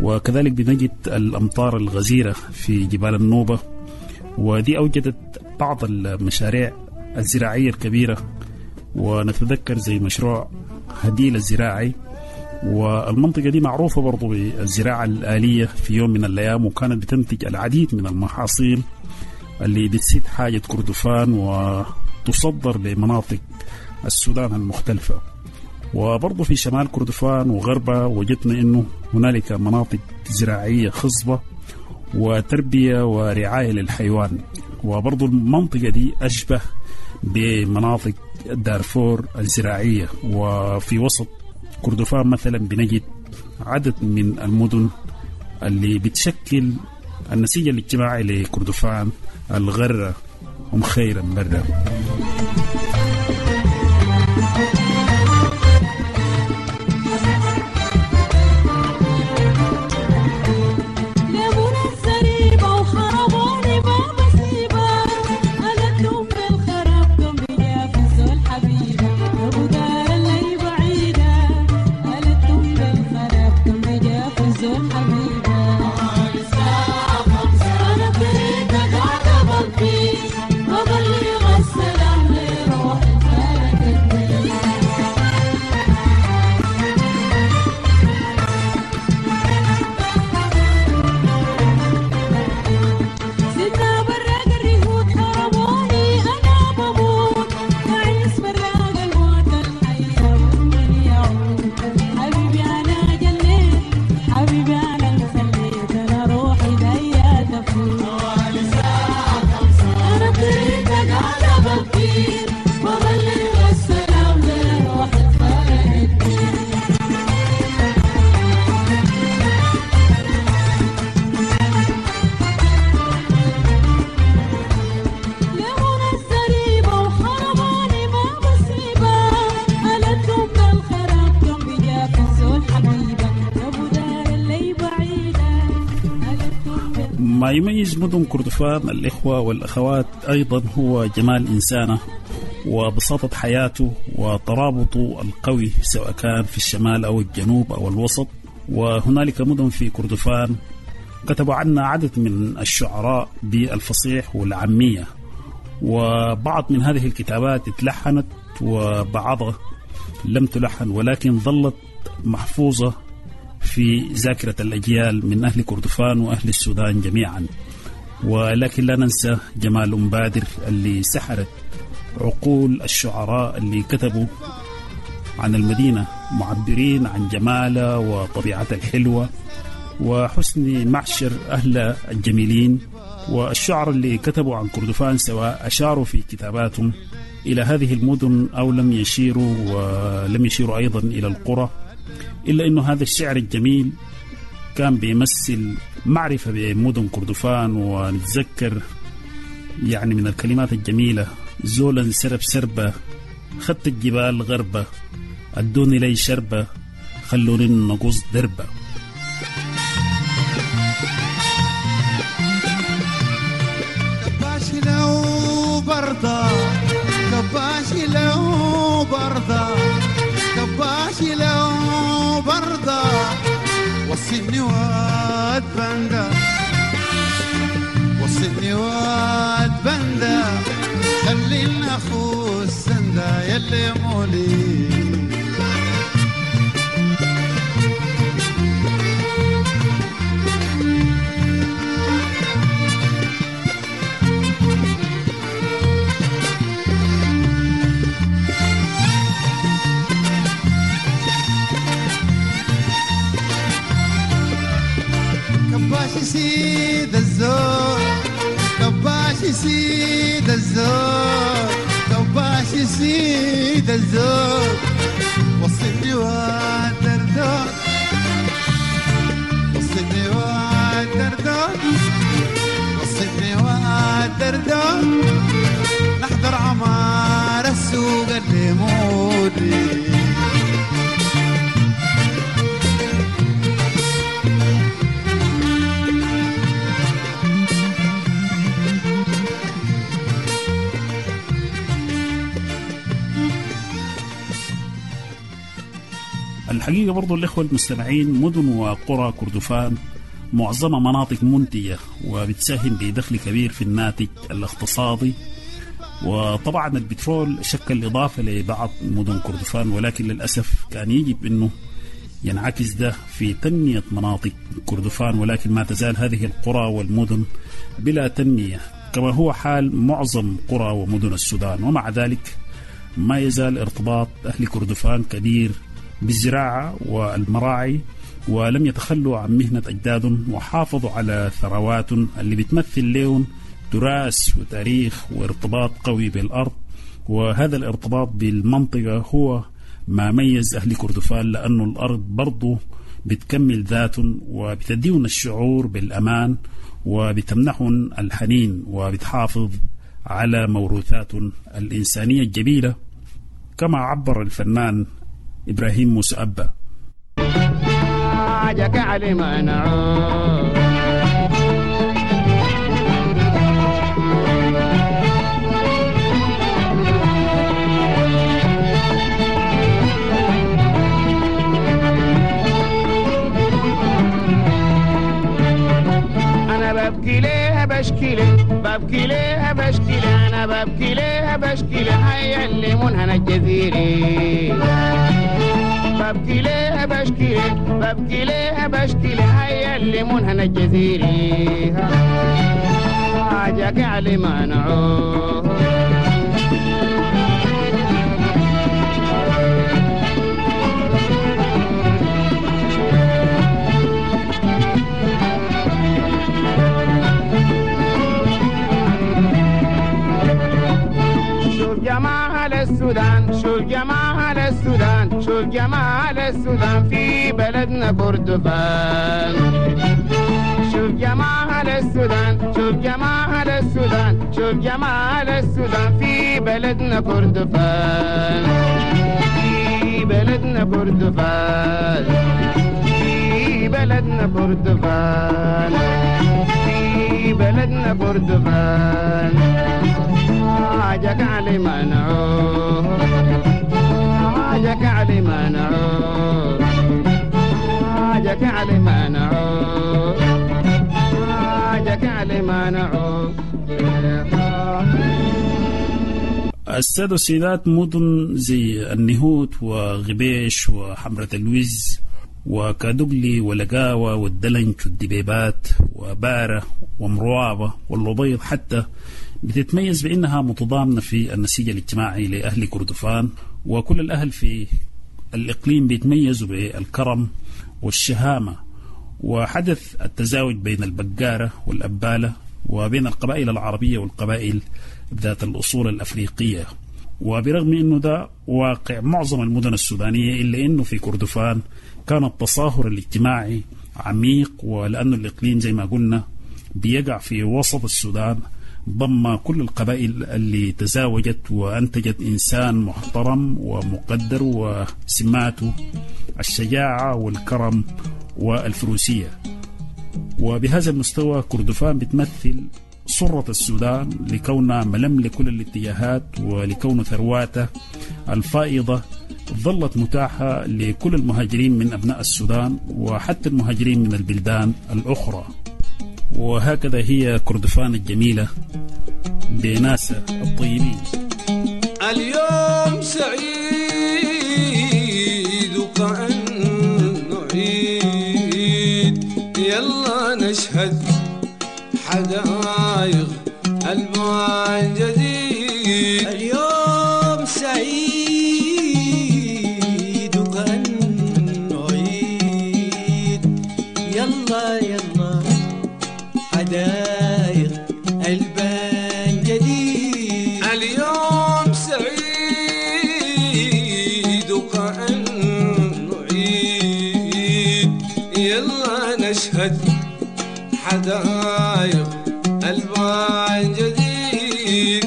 وكذلك بنجد الأمطار الغزيرة في جبال النوبة، ودي أوجدت بعض المشاريع الزراعية الكبيرة، ونتذكر زي مشروع هديل الزراعي. والمنطقة دي معروفة برضو بالزراعة الآلية في يوم من الأيام، وكانت بتنتج العديد من المحاصيل اللي بتسد حاجة كردفان وتصدر لمناطق السودان المختلفة. وبرضو في شمال كردفان وغربة وجدنا أنه هنالك مناطق زراعية خصبة وتربية ورعاية للحيوان، وبرضو المنطقة دي أشبه بمناطق دارفور الزراعية. وفي وسط كردفان مثلا بنجد عدد من المدن اللي بتشكل النسيج الاجتماعي لكردفان، الغرة أم خيرا برة. ما يميز مدن كردفان الإخوة والأخوات أيضا هو جمال إنسانه وبساطة حياته وترابطه القوي سواء كان في الشمال أو الجنوب أو الوسط. وهنالك مدن في كردفان كتبوا عنا عدد من الشعراء بالفصيح والعامية، وبعض من هذه الكتابات اتلحنت وبعضها لم تلحن، ولكن ظلت محفوظة في ذاكرة الأجيال من أهل كردفان وأهل السودان جميعا. ولكن لا ننسى جمال أم بادر اللي سحرت عقول الشعراء اللي كتبوا عن المدينة معبرين عن جمالها وطبيعتها الحلوة وحسن معشر أهل الجميلين. والشعر اللي كتبوا عن كردفان سواء أشاروا في كتاباتهم إلى هذه المدن أو لم يشيروا، ولم يشيروا أيضا إلى القرى، إلا أنه هذا الشعر الجميل كان بيمثل معرفة بمدن كردفان. ونتذكر يعني من الكلمات الجميلة: زولا سرب سربة، خدت الجبال غربة، أدوني لي شربة، خلوني نقص دربة. كباشي لو برضا، كباشي لو برضا، كباشي لو برضا، وصلني واد بندا، وصلني واد بندا، خلينا اخو السندا يلي مولي. كباشي سيد الزور، كباشي سيد الزور، كباشي سيد الزور، وصلني وادردور، وصلني وادردور، وصلني عودي. الحقيقة برضو الإخوة المستمعين، مدن وقرى كردفان معظمها مناطق منتجة وبتساهم بدخل كبير في الناتج الاقتصادي، وطبعا البترول شكل إضافة لبعض مدن كردفان، ولكن للأسف كان يجب أنه ينعكس ده في تنمية مناطق كردفان، ولكن ما تزال هذه القرى والمدن بلا تنمية كما هو حال معظم قرى ومدن السودان. ومع ذلك ما يزال ارتباط أهل كردفان كبير بالزراعة والمراعي، ولم يتخلوا عن مهنة أجدادهم وحافظوا على ثرواتهم اللي بتمثل لهم تراث وتاريخ وارتباط قوي بالأرض. وهذا الارتباط بالمنطقة هو ما ميز أهل كردفان، لأنه الأرض برضو بتكمل ذاتهم وبتديهم الشعور بالأمان وبتمنحهم الحنين وبتحافظ على موروثاتهم الإنسانية الجميلة، كما عبر الفنان إبراهيم موسى أبا. أنا ببكي ليه بشكي ليه ببكي ليه بشكي ليه أنا ببكي ليه بشكي ليه هيا اللي منهنا الجزيري. ببكي ليه بشكي ليه ببكي ليه بشكي ليه هيا اللي منهنا الجزيري. حاجك علي منعوه. شوف جمال السودان شوف جمال السودان شوف جمال السودان في بلدنا كردفان. شوف جمال السودان شوف جمال السودان شوف جمال السودان في بلدنا كردفان. في بلدنا كردفان في بلدنا كردفان في بلدنا كردفان. حاجك علي منعوه حاجك علي منعوه حاجك علي منعوه حاجك علي منعوه. السادة والسيدات، مدن زي النهوت وغبيش وحمرة الوز وكادوغلي ولقاوة والدلنج والدبيبات وبارة ومروابة واللبيض حتى بتتميز بأنها متضامنة في النسيج الاجتماعي لأهل كردفان، وكل الأهل في الإقليم بيتميزوا بالكرم والشهامة. وحدث التزاوج بين البقارة والأبالة وبين القبائل العربية والقبائل ذات الأصول الأفريقية. وبرغم أنه ده واقع معظم المدن السودانية، إلا أنه في كردفان كان التصاهر الاجتماعي عميق، ولأنه الإقليم زي ما قلنا بيقع في وسط السودان ضم كل القبائل اللي تزاوجت وأنتجت إنسان محترم ومقدر وسماته الشجاعة والكرم والفروسية. وبهذا المستوى كردفان بتمثل صرة السودان لكونها ملم لكل الاتجاهات، ولكون ثرواته الفائضة ظلت متاحة لكل المهاجرين من أبناء السودان وحتى المهاجرين من البلدان الأخرى. وهكذا هي كردفان الجميلة بناسها الطيبين. اليوم سعيد وكأنه عيد، يلا نشهد حدائق ألوان جديد. اليوم سعيد وكأنه عيد، يلا يلا حدائق ألبان جديد. اليوم سعيد وكأنه عيد، يلا نشهد حدائق ألبان جديد.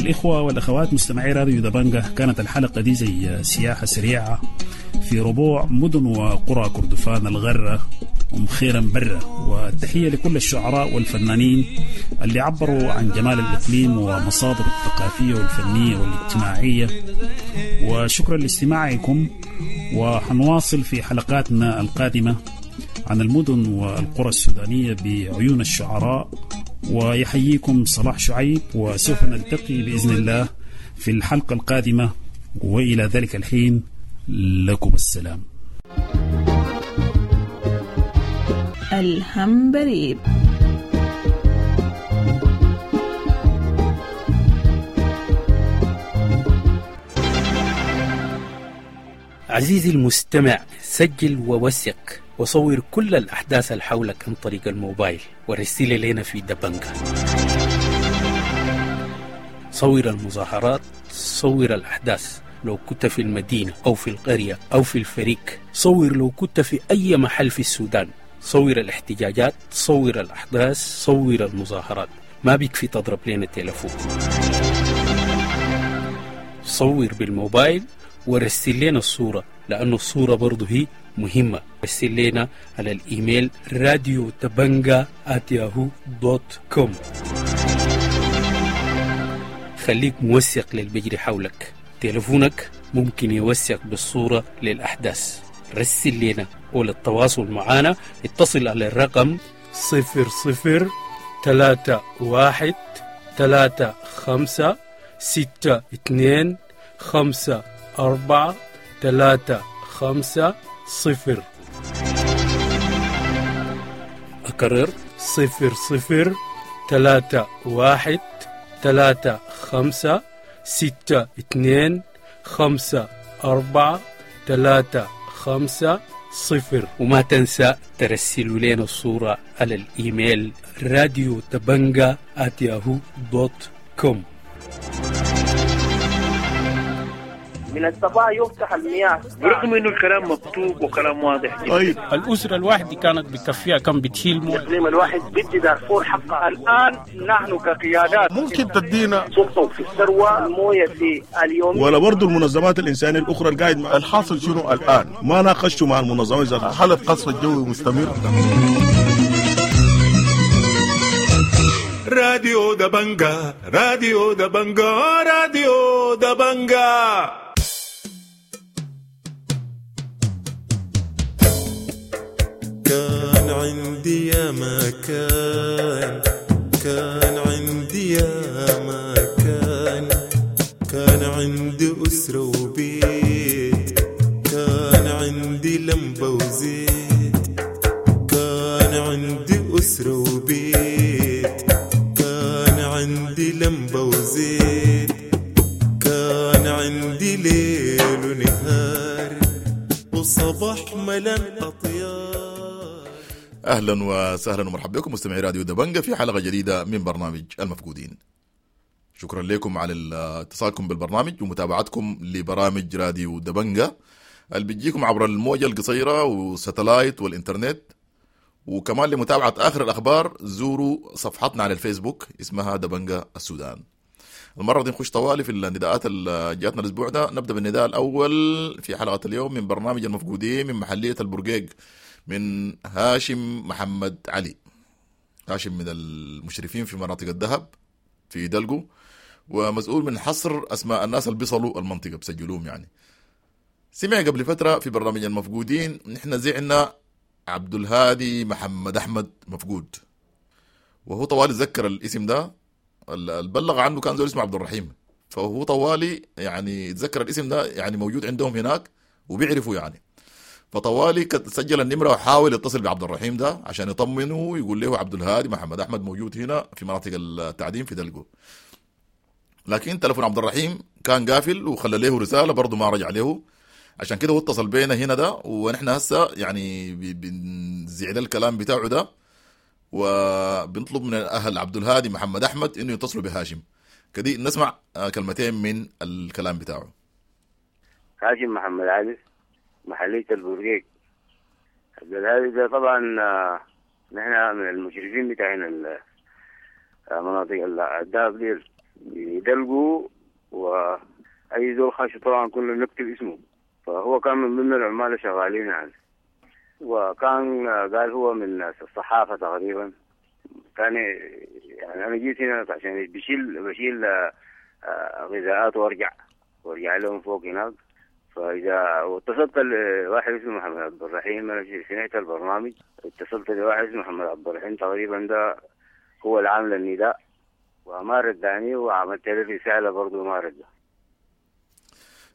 الإخوة والأخوات مستمعي راديو دبنجة، كانت الحلقة دي زي سياحة سريعة في ربوع مدن وقرى كردفان الغرة أم خيرا برة. والتحية لكل الشعراء والفنانين اللي عبروا عن جمال الإقليم ومصادره الثقافية والفنية والاجتماعية، وشكرا لاستماعكم. وحنواصل في حلقاتنا القادمة عن المدن والقرى السودانية بعيون الشعراء. ويحييكم صلاح شعيب، وسوف نلتقي بإذن الله في الحلقة القادمة، وإلى ذلك الحين لكم السلام. الهمبريب. عزيزي المستمع، سجل ووثق وصور كل الأحداث اللي حولك عن طريق الموبايل ورسل لنا في دبنجة. صور المظاهرات، صور الأحداث لو كنت في المدينة أو في القرية أو في الفريق، صور لو كنت في أي محل في السودان، صور الاحتجاجات، صور الأحداث، صور المظاهرات. ما بيكفي تضرب لنا التلفون، صور بالموبايل ورسل لنا الصورة، لأنه الصورة برضو هي مهمة. رسل لنا على الإيميل راديو دبنجة آت ياهو دوت كوم. خليك موثق للبجري حولك، تلفونك ممكن يوثق بالصورة للأحداث. رسل لنا، وللتواصل معنا اتصل على الرقم صفر صفر ثلاثة واحد ثلاثة خمسة ستة اثنين خمسة أربعة ثلاثة خمسة صفر. أكرر صفر صفر ثلاثة واحد ثلاثة خمسة ستة اثنين خمسة أربعة ثلاثة خمسة صفر. وما تنسى ترسلوا لنا الصورة على الإيميل راديو دبنجة آت ياهو دوت كوم. من الصباح يفتح المياه برغم انه الكلام مكتوب وكلام واضح جدا. طيب الاسرة الواحدة كانت بتكفيها كم بتشيل مويه؟ الاقليم الواحد بدي دارفور حقها. الان نحن كقيادات ممكن تدينا سلطة في الثروة المويه في اليوم، ولا برضه المنظمات الانسانية الاخرى القاعد مع الحاصل شنو الان؟ ما ناقشتوا مع المنظمات ذاتها. حاله قصف الجوي مستمر. راديو دبنجة، راديو دبنجة، راديو دبنجة. كان عندي يا مكان، كان عندي يا مكان، كان عندي أسرة وبيت، كان عندي لمبة وزيت، كان عندي أسرة وبيت، كان عندي لمبة وزيت، كان عندي ليل ونهار وصباح ملان أطيار. اهلا وسهلا ومرحبا بكم مستمعي راديو دبنجة في حلقة جديدة من برنامج المفقودين. شكرا لكم على اتصالكم بالبرنامج ومتابعتكم لبرامج راديو دبنجة اللي بتجيكم عبر الموجه القصيرة والستلايت والانترنت، وكمان لمتابعة اخر الاخبار زوروا صفحتنا على الفيسبوك اسمها دبنجة السودان. المرة دي نخش طوالي في النداءات اللي جاتنا الاسبوع ده. نبدا بالنداء الاول في حلقة اليوم من برنامج المفقودين من محليه البرقيق، من هاشم محمد علي. هاشم من المشرفين في مناطق الذهب في دلقو، ومسؤول من حصر أسماء الناس اللي بيصلوا المنطقة بسجلوهم. يعني سمع قبل فترة في برنامج المفقودين نحن زعنا عبد الهادي محمد أحمد مفقود، وهو طوالي ذكر الاسم ده، اللي بلغ عنه كان زول اسمه عبد الرحيم، فهو طوالي يعني تذكر الاسم ده، يعني موجود عندهم هناك وبيعرفوا يعني. فطوالي سجل النمرة وحاول يتصل بعبد الرحيم ده عشان يطمنه ويقول له عبد الهادي محمد أحمد موجود هنا في مناطق التعدين في دلقو. لكن تلفون عبد الرحيم كان قافل وخلى له رسالة برضه ما رجع له، عشان كده هو اتصل بينا هنا ده، ونحن هسه يعني بنزعل الكلام بتاعه ده، وبنطلب من أهل عبد الهادي محمد أحمد إنه يتصلوا بهاشم. كدي نسمع كلمتين من الكلام بتاعه. هاشم محمد علي، محلية البرقيق. عبد الهادي ده طبعا نحن من المشرفين بتاعنا مناطق الدهب ديل، يدلقوا، وأي زول خاش طبعا كنا نكتب اسمه، فهو كان من ضمن العمال شغالين يعني. وكان قال هو من الصحافة تقريبا. كان يعني أنا جيت هنا عشان بشيل بشيل غذاءات وارجع وارجع لهم فوق هناك. فإذا واتصلت لواحد اسمه محمد عبد الرحيم، أنا سمعت البرنامج، اتصلت لواحد اسمه محمد عبد الرحيم تقريبا، ده هو العامل النداء، وما رداني، وعملت له رسالة برضه ما رد.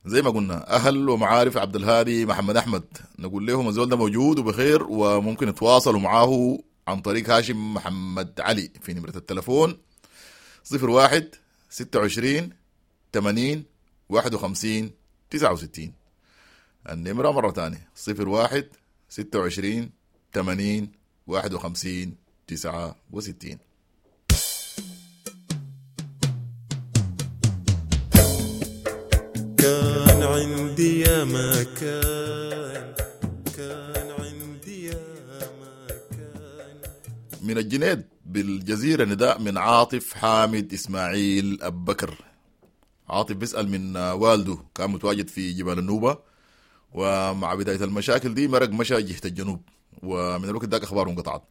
زي ما قلنا أهل ومعارف عبد الهادي محمد أحمد نقول لهم الزول ده موجود وبخير، وممكن يتواصلوا معاه عن طريق هاشم محمد علي في نمرة التلفون صفر واحد ستة وعشرين ثمانين واحد وخمسين تسعة وستين. النمرة مرة تانية صفر واحد ستة وعشرين ثمانين واحد وخمسين تسعة وستين. كان عندي يا مكان، كان عندي يا مكان. من الجنيد بالجزيرة نداء من عاطف حامد إسماعيل أبكر. عاطف بيسأل من والده، كان متواجد في جبال النوبة، ومع بداية المشاكل دي مرق مشى جهة الجنوب، ومن الوقت ذاك أخباره انقطعت.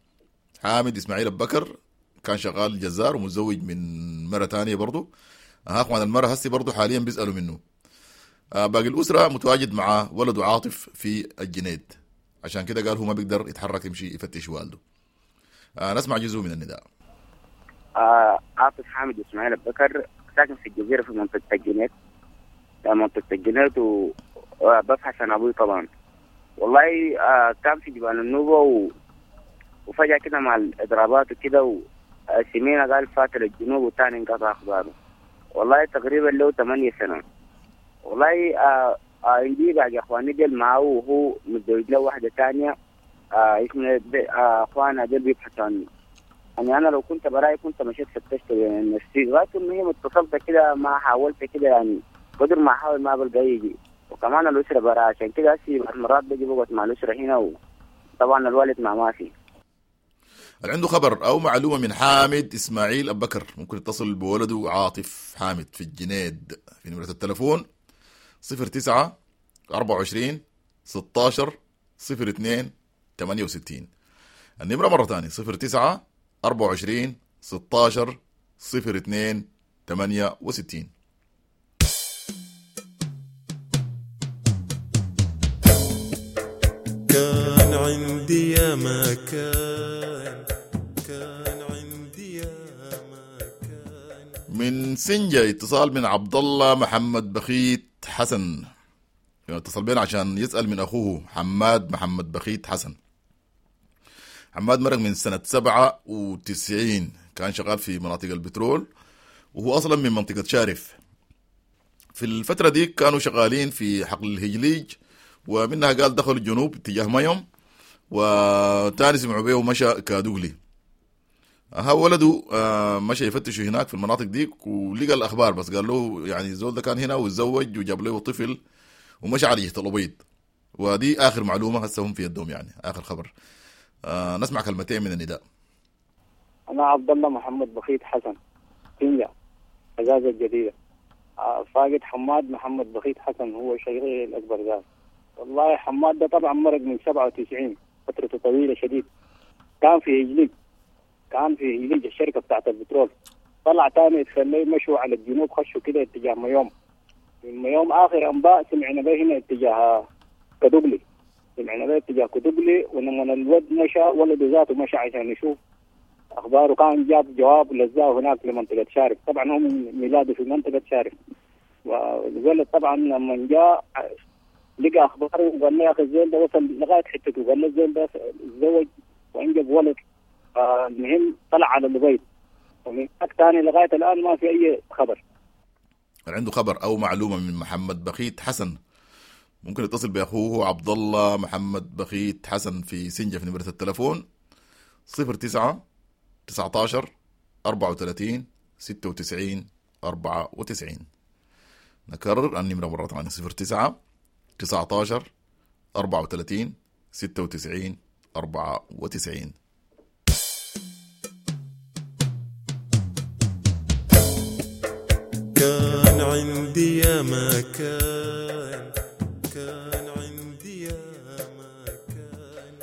حامد إسماعيل أبكر كان شغال جزار ومتزوج من مرة تانية برضه. ها أخوان المرة هسي برضه حاليا بيسألوا منه. باقي الأسرة متواجد مع ولده عاطف في الجنيد، عشان كده قال هو ما بيقدر يتحرك يمشي يفتش والده. نسمع جزء من النداء. آه عاطف حامد إسماعيل أبكر، ساكن في الجزيرة في منطقة الجنيد، منطقة الجنيد، وببحث عن أبوي طبعا. والله آه كان في جبال النوبة و... وفجأة كده مع الإضرابات وكده وسمينا قال فات للجنوب وتاني انقطع أخباره. والله تقريبا له ثمانية سنة. والله آه عندي آه بعد اخواني ديل معه، وهو متزوج له واحدة ثانية. آه اسمه آه اخوانا ديل بيبحثوا عني. يعني انا لو كنت براي كنت مشيت فتشت نفسي لغاية المهم اتصلت كده، ما حاولت كده يعني قدر ما احاول ما بلقى يجي، وكمان الاسرة براي، عشان كده هسي مرات بجي بقعد مع الاسرة هنا، وطبعا الوالد مع ما في. اللي عنده خبر او معلومة من حامد اسماعيل أبكر ممكن يتصل بولده عاطف حامد في الجنيد في نمره التلفون صفر تسعة أربعة وعشرين ستاشر صفر اثنين ثمانية وستين. النمرة مرة تانية صفر تسعة أربعة وعشرين ستاشر صفر اثنين ثمانية وستين. كان عندي يا مكان، كان عندي يا مكان. من سنجة اتصال من عبد الله محمد بخيت حسن، اتصل بينا عشان يسأل من أخوه حماد محمد بخيت حسن. حماد مرق من سنة سبعة وتسعين، كان شغال في مناطق البترول، وهو أصلا من منطقة شارف. في الفترة دي كانوا شغالين في حقل الهجليج، ومنها قال دخلوا الجنوب اتجاه مايوم، وتاني سمعوا بيه ومشى كادوغلي. ها ولده مشى يفتشوا هناك في المناطق دي ولقى الأخبار، بس قال له يعني الزول ده كان هنا وتزوج وجاب له طفل ومشى على جهة الأبيض. ودي آخر معلومة هسه هم في يدهم، يعني آخر خبر. آه نسمع كلمتين من النداء. أنا عبد الله محمد بخيت حسن، سنجة أزاز الجديدة. آه فاقد حماد محمد بخيت حسن، هو شيخي الأكبر ذات. والله حماد ده طبعا مرق من سبعة وتسعين، فترته طويلة شديد. كان في هجليج، كان في هجليج الشركة بتاعت البترول. طلع تاني يتخلي مشوا على الجنوب، خشوا كده اتجاه ميوم. من ميوم آخر أنباء سمعنا به هنا اتجاه كدوغلي، سمعنا به اتجاه كدوغلي. ولما الولد مشى، ولده ذاته مشى عشان يشوف أخباره، كان جاب جواب لزاه هناك لمنطقة شارف. طبعا هو من ميلاده في منطقة شارف. والولد طبعا لما جاء لقى أخباره وقال لي يا أخي الزول ده وصل لغاية حتته، وقال لي الزول ده تزوج وأنجب ولد. المهم طلع على البيت، ومن هناك ثاني لغاية الآن ما في أي خبر. عنده خبر أو معلومة من محمد بخيت حسن ممكن يتصل بأخوه عبد الله محمد بخيت حسن في سنجة في نمرة التلفون صفر تسعة تسعة عشر أربعة وثلاثين ستة وتسعين أربعة وتسعين. نكرر النمرة مرة ثانية صفر تسعة تسعة عشر أربعة وثلاثين ستة وتسعين أربعة وتسعين. كان عندي يا ما كان كان عندي يا ما كان.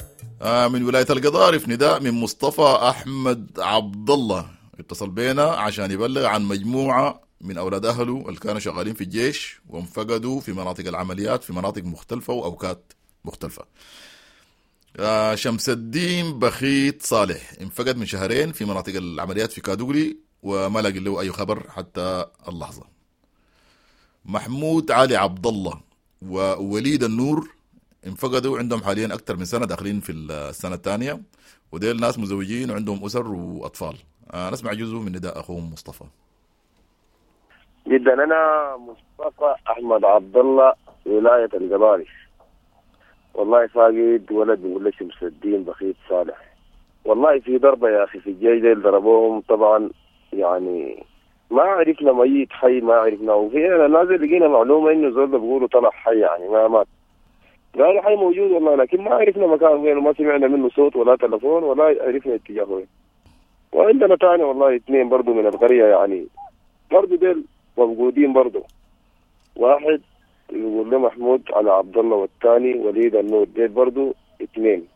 آه من ولاية القضارف نداء من مصطفى أحمد عبد الله، اتصل بينا عشان يبلغ عن مجموعة من أولاد أهله اللي كانوا شغالين في الجيش وانفقدوا في مناطق العمليات في مناطق مختلفة وأوقات مختلفة. آه شمس الدين بخيت صالح انفقد من شهرين في مناطق العمليات في كادوغلي وما لاقي له أي خبر حتى اللحظة. محمود علي عبد الله ووليد النور انفقدوا عندهم حاليا أكثر من سنة، داخلين في السنة الثانية، وديل ناس مزوجين وعندهم أسر وأطفال. آه نسمع جزء من نداء أخوهم مصطفى. جدا أنا مصطفى أحمد عبد الله، ولاية القضارف. والله فاقد ولد بيقول لي شمس الدين بخيت صالح. والله في ضربة يا أخي في الجيش ديل ضربوهم طبعا، يعني ما عرفنا ميت حي ما عرفنا. وفي أنا نازل لقينا معلومة إنه زول بيقولوا طلع حي يعني ما مات، قالوا حي موجود والله، لكن ما عرفنا مكان وين وما سمعنا منه صوت ولا تلفون ولا عرفنا اتجاهه وين. وعندنا تاني والله اثنين برضو من القرية يعني برضو ديل موجودين برضو، واحد يقول له محمود على عبد الله والثاني وليد النور، ديل برضو اثنين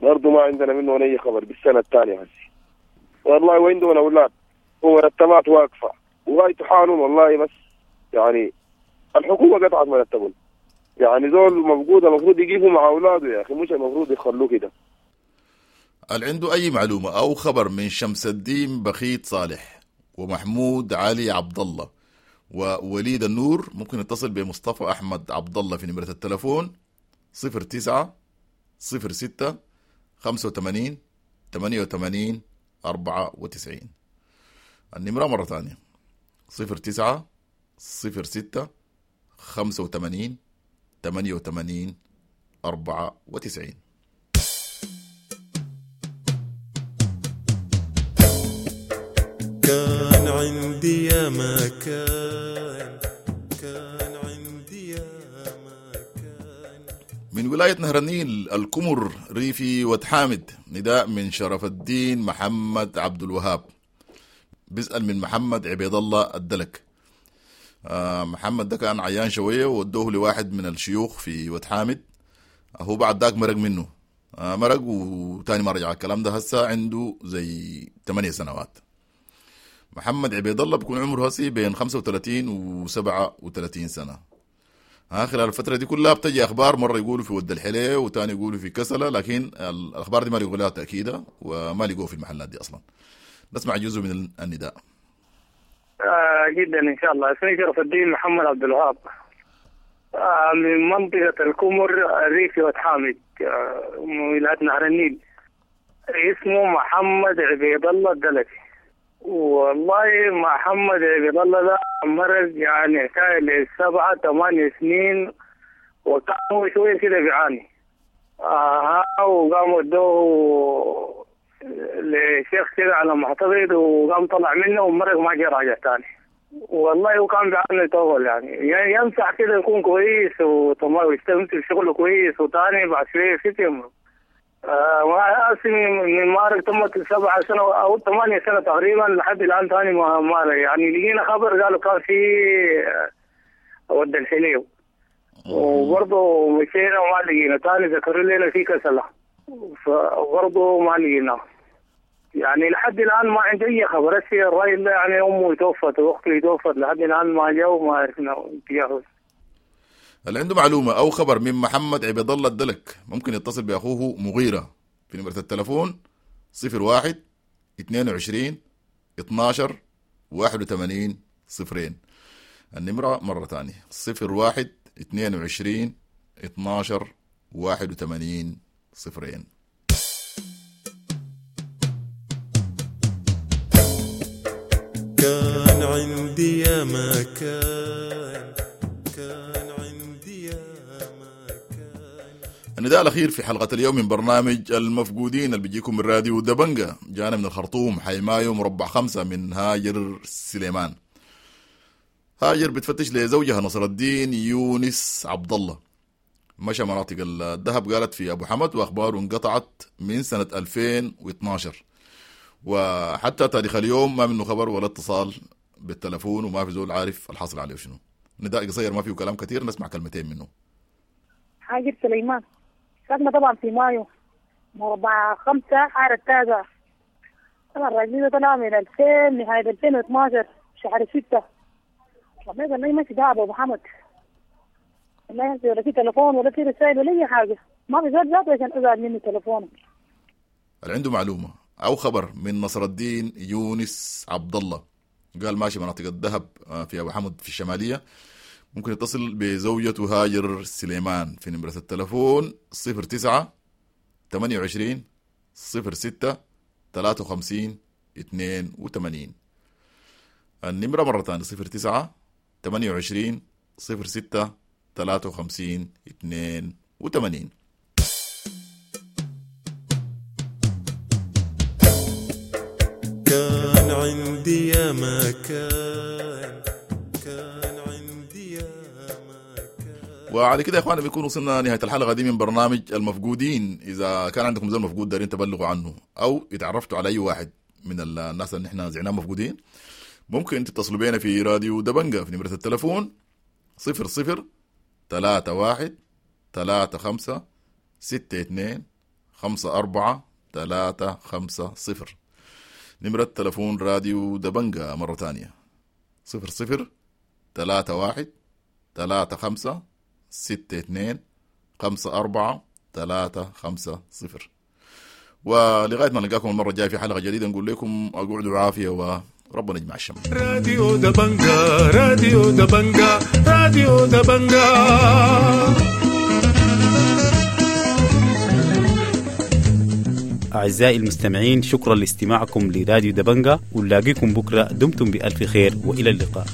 برضو ما عندنا منه اي خبر بالسنة الثانية هسي والله. وعندهم اولاد ومرتبات واقفة وغاية حالهم والله، بس يعني الحكومة قطعت مرتبهم، يعني زول مفقود المفروض يجيبوا مع اولاده يا اخي، مش المفروض يخلوه كده. هل عنده اي معلومة او خبر من شمس الدين بخيت صالح ومحمود علي عبد الله ووليد النور؟ ممكن يتصل بمصطفى أحمد عبد الله في نمرة التلفون صفر تسعة صفر ستة خمسة وثمانين ثمانية وثمانين أربعة وتسعين. النمرة مرة ثانية صفر تسعة صفر ستة خمسة وثمانين ثمانية وثمانين أربعة وتسعين. كان عندي يا ما كان كان عندي يا ما كان. من ولاية نهر النيل الكمر ريفي وتحامد نداء من شرف الدين محمد عبد الوهاب، بيسأل من محمد عبيد الله الدلك. آه محمد ده كان عيان شوية وودوه لواحد من الشيوخ في وتحامد، هو بعد ذاك مرق منه، آه مرق وتاني ما رجع. الكلام ده هسه عنده زي ثمانية سنوات. محمد عبيد الله بيكون عمره هسي بين خمسة وثلاثين وسبعة وثلاثين سنة. ها خلال الفترة دي كلها بتجي أخبار، مرة يقولوا في ود الحلية وتاني يقولوا في كسلة، لكن الأخبار دي ما لقوا لها تأكيدة وما لقوه في المحلات دي أصلا. نسمع جزء من النداء. آه جدا إن شاء الله. اسمي شرف الدين محمد عبد الوهاب، آه من منطقة الكمر الريفي وتحامد، آه من ولاية نهر النيل. اسمه محمد عبيد الله الدلكي. والله محمد عبيد الله ده مرض يعني حكاية لسبعة ثمانية سنين، وكان هو شوية كده بيعاني. آه وقام ودوه لشيخ كده على ما اعتقد، وقام طلع منه ومرق ما جه راجع تاني. والله وكان بيعاني طول يعني يمسح كده يكون كويس وتمام ويستمتع بشغله كويس، وتاني بعد شوية في يمرض. آه من مارق تمت سبعة سنة أو ثمانية سنة تقريبا لحد الآن تاني ما مارق يعني. لقينا خبر قالوا كان في ود الحليو، وبرضه مشينا وما لقينا. تاني ذكروا لنا في كسلة، فبرضه ما لقينا يعني لحد الآن ما عندي أي خبر. هسه الراجل ده يعني أمه توفت وأخته توفت، لحد الآن ما جاء وما عرفنا اتجاهه. اللي عنده معلومة أو خبر من محمد عبيد الله الدلك ممكن يتصل بأخوه مغيرة في نمرة التلفون صفر واحد اثنين وعشرين اثناشر واحد وثمانين صفرين. النمرة مرة ثانية صفر واحد اثنين وعشرين اثناشر واحد وثمانين صفرين. كان عندي يا ما كان كان عندي يا ما كان. النداء الأخير في حلقة اليوم من برنامج المفقودين اللي بيجيكم من راديو دبنجة، جانا من الخرطوم حي مايو مربع خمسة من هاجر سليمان. هاجر بتفتش لزوجها نصر الدين يونس عبد الله، مشى مناطق الذهب قالت في أبو حمد، وأخباره انقطعت من سنة ألفين واثناشر وحتى تاريخ اليوم ما منه خبر ولا اتصال بالتلفون وما في زول عارف الحاصل عليه شنو. نداء قصير ما فيه كلام كثير، نسمع كلمتين منه. هاجر سليمان، ساكنة طبعا في مايو مربع خمسة حارة التازة. طبعا الراجل ده طلع من ألفين نهاية ألفين واثناشر شهر ستة. والله قال لي ماشي دهب أبو حمد، والله ولا في تليفون ولا في رسائل ولا أي حاجة، ما في زول ذاته عشان أزعل منه تليفونه. اللي عنده معلومة أو خبر من نصر الدين يونس عبد الله، قال ماشي مناطق الذهب في أبو حمد في الشمالية، ممكن يتصل بزوجته هاجر سليمان في نمرة التلفون صفر تسعة ثمانية وعشرين صفر ستة ثلاثة وخمسين اثنين وثمانين. النمرة مرة ثانية صفر تسعة ثمانية وعشرين صفر ستة ثلاثة وخمسين اثنين وثمانين. كان عندي يا مكان، كان عندي يا مكان. وعلى كده يا اخوانا بيكون وصلنا نهاية الحلقة دي من برنامج المفقودين. اذا كان عندكم زول مفقود دارين تبلغوا عنه او اتعرفتوا على اي واحد من الناس اللي احنا زعناهم مفقودين، ممكن تتصلوا بينا في راديو دبنجة في نمرة التلفون صفر صفر ثلاثة واحد ثلاثة خمسة ستة اثنين خمسة أربعة ثلاثة خمسة صفر. نمرة تلفون راديو دبنجة مرة تانية صفر صفر ثلاثة واحد ثلاثة خمسة ستة اثنين خمسة أربعة ثلاثة خمسة صفر. ولغاية ما نلقاكم المرة الجاية في حلقة جديدة نقول لكم أقعدوا عافية وربنا يجمع الشمل. راديو دبنجة، راديو دبنجة، راديو دبنجة. أعزائي المستمعين، شكرا لاستماعكم لراديو دبنجة، ونلاقيكم بكرة. دمتم بألف خير وإلى اللقاء.